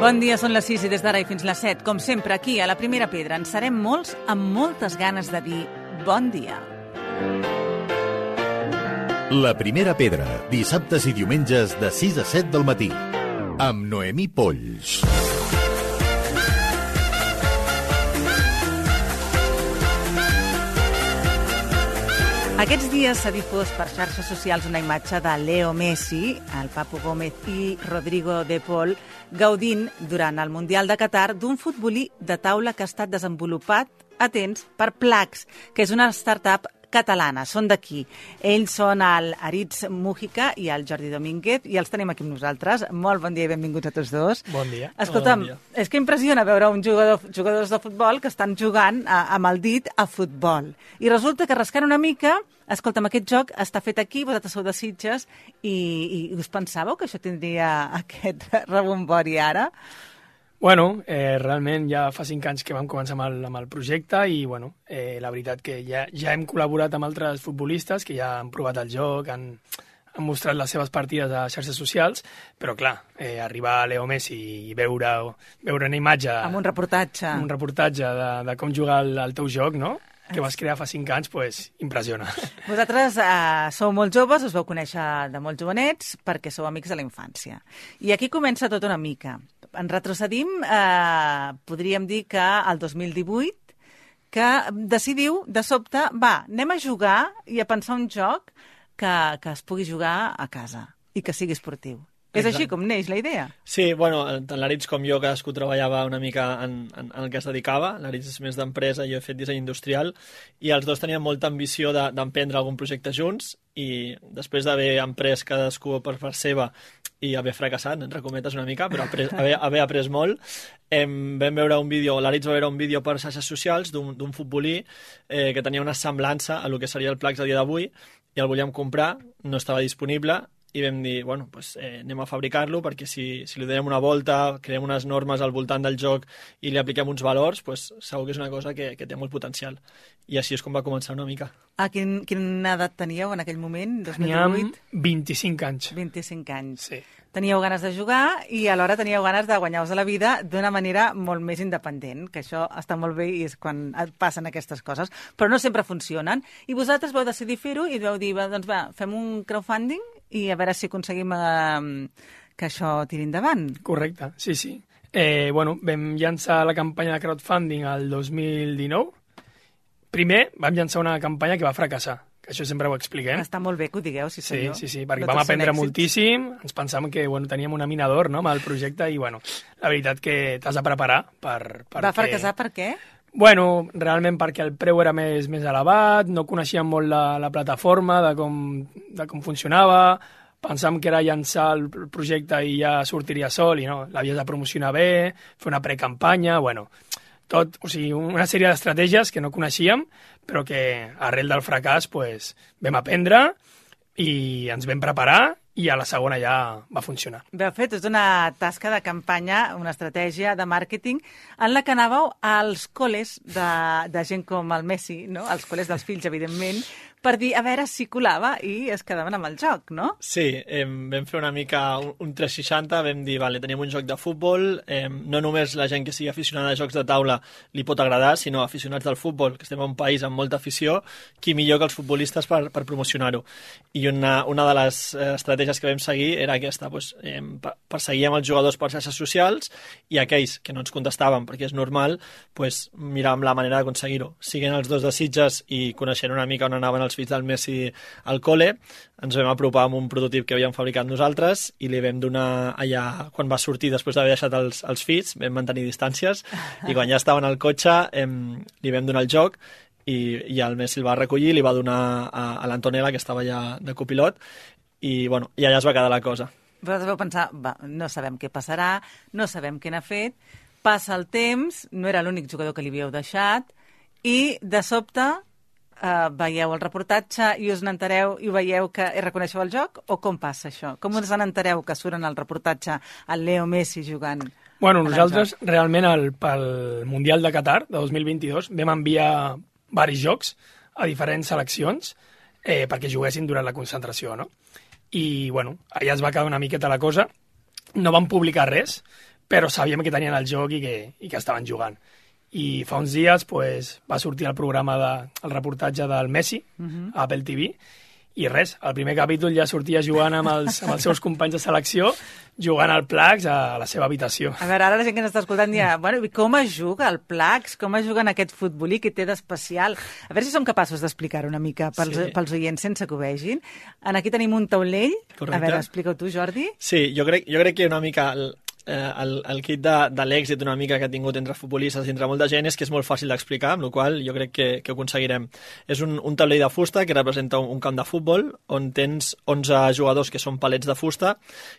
Bon dia, són les 6 i des d'ara i fins les 7. Com sempre, aquí, a la Primera Pedra, en serem molts amb moltes ganes de dir bon dia. La Primera Pedra, dissabtes i diumenges de 6 a 7 del matí, amb Noemí Polls. Aquests dies s'ha difós per xarxes socials una imatge de Leo Messi, el Papu Gómez i Rodrigo de Paul gaudint durant el Mundial de Qatar d'un futbolí de taula que ha estat desenvolupat, atents, per Plax, que és una startup catalana, són d'aquí. Ells són el Aritz Mújica i el Jordi Domínguez i els tenim aquí amb nosaltres. Molt bon dia i benvinguts a tots dos. Bon dia. Escolta'm, bon dia. És que impressiona veure jugadors de futbol que estan jugant amb el dit a futbol. I resulta que rascant una mica, escolta'm, aquest joc està fet aquí, vosaltres sou de Sitges, i us pensàveu que això tindria aquest rebombori ara? Bueno, realment ja fa 5 anys que vam començar amb el projecte i bueno, la veritat que ja hem col·laborat amb altres futbolistes que ja han provat el joc, han mostrat les seves partides a xarxes socials, però clar, arribar a Leo Messi i veure una imatge... Amb un reportatge. Un reportatge de com jugar el teu joc, no?, que vas crear fa 5 anys, pues, impressiona. Vosaltres sou molt joves, us vau conèixer de molt jovenets perquè sou amics de la infància. I aquí comença tot una mica. En retrocedim, podríem dir que el 2018, que decidiu, de sobte, anem a jugar i a pensar un joc que es pugui jugar a casa i que sigui esportiu. És així com neix la idea? Sí, bueno, tant l'Aritz com jo cadascú treballava una mica en el que es dedicava. L'Aritz és més d'empresa i jo he fet disseny industrial i els dos tenien molta ambició d'emprendre algun projecte junts i després d'haver emprès cadascú per part seva i haver fracassat, entre cometes una mica, però haver après molt, vam veure un vídeo, l'Aritz va veure un vídeo per xarxes socials d'un futbolí que tenia una semblança a lo que seria el Plax a dia d'avui i el volíem comprar, no estava disponible i vam dir, bueno, pues, anem a fabricar-lo perquè si li donem una volta, creem unes normes al voltant del joc i li apliquem uns valors, pues, segur que és una cosa que té molt potencial. I així és com va començar una mica. Quina edat teníeu en aquell moment, 2008? Teníem 25 anys. 25 anys. Sí. Teníeu ganes de jugar i alhora teníeu ganes de guanyar-vos la vida d'una manera molt més independent, que això està molt bé i és quan passen aquestes coses, però no sempre funcionen. I vosaltres vau decidir fer-ho i vau dir, doncs fem un crowdfunding i a veure si aconseguim que això tiri endavant. Correcte, sí. Bueno, vam llançar la campanya de crowdfunding el 2019. Primer vam llançar una campanya que va fracassar, que això sempre ho expliquem. Està molt bé que ho digueu, sí senyor. Sí, perquè vam aprendre moltíssim, ens pensàvem que teníem una mina d'or, no?, amb el projecte i la veritat que t'has de preparar Va fracassar per què? Bueno, realment perquè el preu era més elevat, no coneixíem molt la plataforma, de com funcionava, pensàvem que era llançar el projecte i ja sortiria sol i no, l'havies de promocionar bé, fer una precampanya, tot, o sigui, una sèrie d'estratègies que no coneixíem, però que arrel del fracàs vam aprendre i ens vam preparar i a la segona ja va funcionar. Vau fer tota una tasca de campanya, una estratègia de màrqueting en la que anàveu als col·les de gent com el Messi, no? Als col·les dels fills, evidentment, per dir a veure si colava i es quedaven amb el joc, no? Sí, vam fer una mica un 360, vam dir, tenim un joc de futbol, no només la gent que sigui aficionada a jocs de taula li pot agradar, sinó aficionats del futbol, que estem en un país amb molta afició, qui millor que els futbolistes per promocionar-ho. I una de les estratègies que vam seguir era aquesta, perseguíem els jugadors per xarxes socials i aquells que no ens contestaven, perquè és normal, miràvem la manera d'aconseguir-ho. Siguent els dos de Sitges i coneixent una mica on anaven els fills del Messi al col·le, ens vam apropar amb un prototip que havíem fabricat nosaltres i li vam donar allà, quan va sortir després d'haver deixat els fills, vam mantenir distàncies i quan ja estaven al cotxe li vam donar el joc i el Messi el va recollir i li va donar a l'Antonella, que estava allà de copilot, i allà es va quedar la cosa. Vosaltres vau pensar, no sabem què passarà, no sabem què n'ha fet, passa el temps, no era l'únic jugador que li havíeu deixat, i de sobte veieu el reportatge i us n'entereu i veieu que reconeixeu el joc, o com passa això? Com us n'entereu que suren al reportatge el Leo Messi jugant? Bueno, nosaltres realment pel Mundial de Qatar de 2022 vam enviar varis jocs a diferents seleccions perquè juguessin durant la concentració, no? I, allà es va quedar una miqueta la cosa. No vam publicar res, però sabíem que tenien el joc i que estaven jugant. I fa uns dies va sortir el programa el reportatge del Messi, a Apple TV, i res, el primer capítol ja sortia jugant amb els seus companys de selecció, jugant al Plax a la seva habitació. A veure, ara la gent que ens està escoltant dirà, bueno, com es juga al Plax? Com es juga en aquest futbolí que té d'especial? A veure si som capaços d'explicar una mica pels oients sense que ho vegin. Aquí tenim un taulell. Correcte. A veure, explica-ho tu, Jordi. Sí, jo crec que una mica el kit de l'èxit una mica que ha tingut entre futbolistes i entre molta gent és que és molt fàcil d'explicar, amb la qual jo crec que ho aconseguirem. És un taulell de fusta que representa un camp de futbol on tens 11 jugadors que són palets de fusta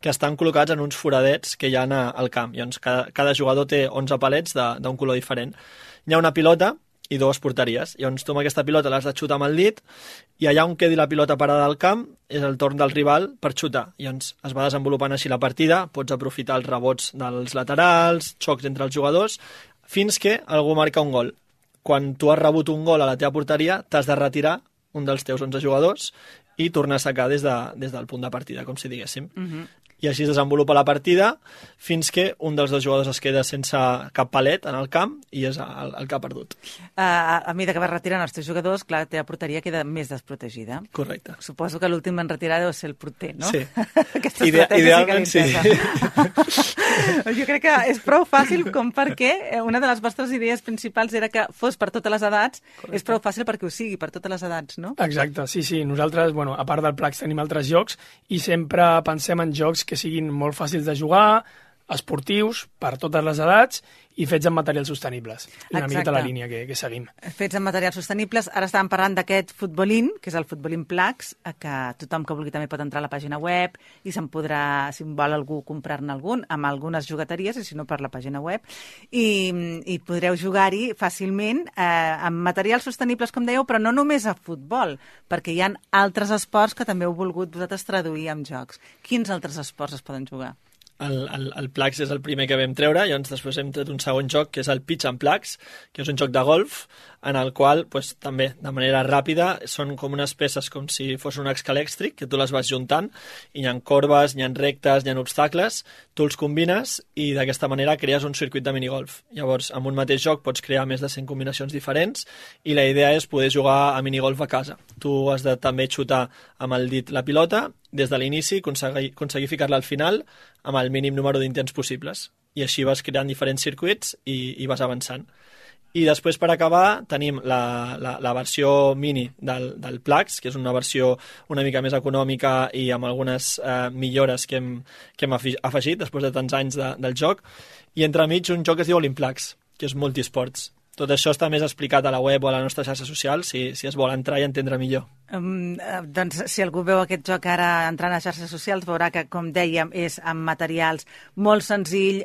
que estan col·locats en uns foradets que hi ha al camp. Llavors, cada jugador té 11 palets d'un color diferent. Hi ha una pilota i 2 porteries. Llavors tu amb aquesta pilota l'has de xutar amb el dit i allà on quedi la pilota parada al camp és el torn del rival per xutar. Llavors es va desenvolupant així la partida, pots aprofitar els rebots dels laterals, xocs entre els jugadors, fins que algú marca un gol. Quan tu has rebut un gol a la teva porteria, t'has de retirar un dels teus 11 jugadors i tornar a sacar des del punt de partida, com si diguéssim. I així es desenvolupa la partida fins que un dels 2 jugadors es queda sense cap palet en el camp i és el que ha perdut. A mesura que vas retirant els teus jugadors, clar, la teva porteria queda més desprotegida. Correcte. Suposo que l'últim en retirar deu ser el porter, no? Sí. Aquesta estratègia Idealment sí que li Jo crec que és prou fàcil com perquè una de les vostres idees principals era que fos per totes les edats. Correcte. És prou fàcil perquè ho sigui per totes les edats, no? Exacte, sí. Nosaltres, a part del Plax, tenim altres jocs i sempre pensem en jocs que siguin molt fàcils de jugar, esportius, per totes les edats i fets amb materials sostenibles. Una miqueta la línia que seguim. Fets amb materials sostenibles. Ara estàvem parlant d'aquest futbolín, que és el futbolín Plax, que tothom que vulgui també pot entrar a la pàgina web i se'n podrà, si vol algú, comprar-ne algun, amb algunes jugateries, i si no per la pàgina web. I podreu jugar-hi fàcilment amb materials sostenibles, com dèieu, però no només a futbol, perquè hi ha altres esports que també heu volgut vosaltres traduir en jocs. Quins altres esports es poden jugar? El Plax és el primer que vam treure, llavors després hem tret un segon joc que és el Pitch and Plax, que és un joc de golf en el qual també de manera ràpida són com unes peces com si fos un escalèxtric que tu les vas juntant i hi ha corbes, hi ha rectes, hi ha obstacles, tu els combines i d'aquesta manera crees un circuit de minigolf. Llavors amb un mateix joc pots crear més de 100 combinacions diferents i la idea és poder jugar a minigolf a casa. Tu has de també xutar amb el dit la pilota des de l'inici, aconseguir ficar-la al final amb el mínim número d'intents possibles. I així vas creant diferents circuits i vas avançant. I després, per acabar, tenim la versió mini del Plax, que és una versió una mica més econòmica i amb algunes millores que hem afegit després de tants anys del joc. I entremig un joc que es diu Olimplax, que és multisports. Tot això està més explicat a la web o a la nostra xarxa social, si es vol entrar i entendre millor. Doncs si algú veu aquest joc ara entrant a xarxes socials veurà que, com dèiem, és amb materials molt senzill,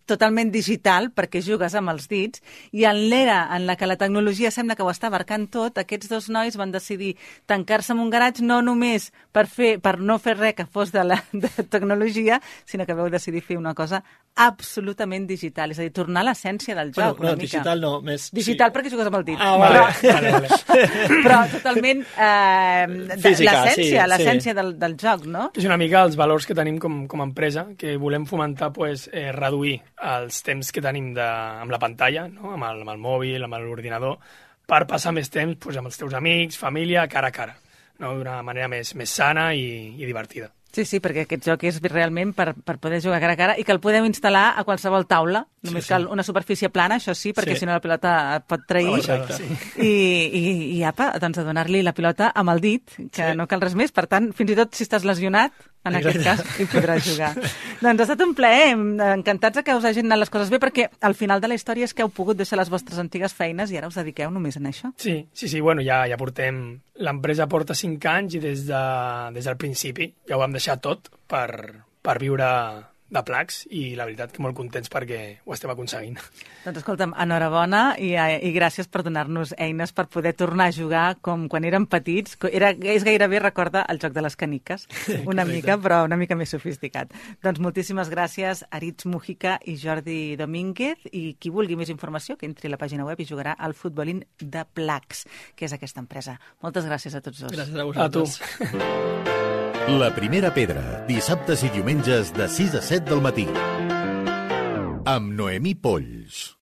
totalment digital, perquè jugues amb els dits, i en l'era en la que la tecnologia sembla que ho està abarcant tot, aquests 2 nois van decidir tancar-se en un garatge no només per no fer res que fos de tecnologia, sinó que vau decidir fer una cosa absolutament digital, és a dir, tornar a l'essència del joc. No, digital no, més... Digital perquè jugues amb el dit. Vale. Però totalment física, l'essència del joc, no? És una mica els valors que tenim com a empresa, que volem fomentar reduir els temps que tenim amb la pantalla, no? amb el mòbil, amb l'ordinador, per passar més temps amb els teus amics, família, cara a cara, no? D'una manera més sana i divertida. Sí, perquè aquest joc és realment per poder jugar cara a cara i que el podeu instal·lar a qualsevol taula. Només cal una superfície plana, això sí, perquè si no la pilota et pot trair. I apa, doncs a donar-li la pilota amb el dit, que no cal res més. Per tant, fins i tot si estàs lesionat, en aquest cas, hi podràs jugar. Doncs ha estat un plaer, encantats que us hagin anat les coses bé, perquè al final de la història és que heu pogut deixar les vostres antigues feines i ara us dediqueu només a això. Sí, bueno, ja portem... L'empresa porta 5 anys i des del principi ja ho vam deixar tot per viure de Plax i la veritat que molt contents perquè ho estem aconseguint. Doncs escolta'm, enhorabona i gràcies per donar-nos eines per poder tornar a jugar com quan érem petits. És gairebé, recorda, el joc de les caniques, una mica, però una mica més sofisticat. Doncs moltíssimes gràcies, Aritz Mújica i Jordi Domínguez, i qui vulgui més informació que entri a la pàgina web i jugarà al futbolín de Plax, que és aquesta empresa. Moltes gràcies a tots dos. Gràcies a vosaltres. A tu. La primera pedra, dissabtes i diumenges de 6 a 7 del matí. amb Noemí Polls.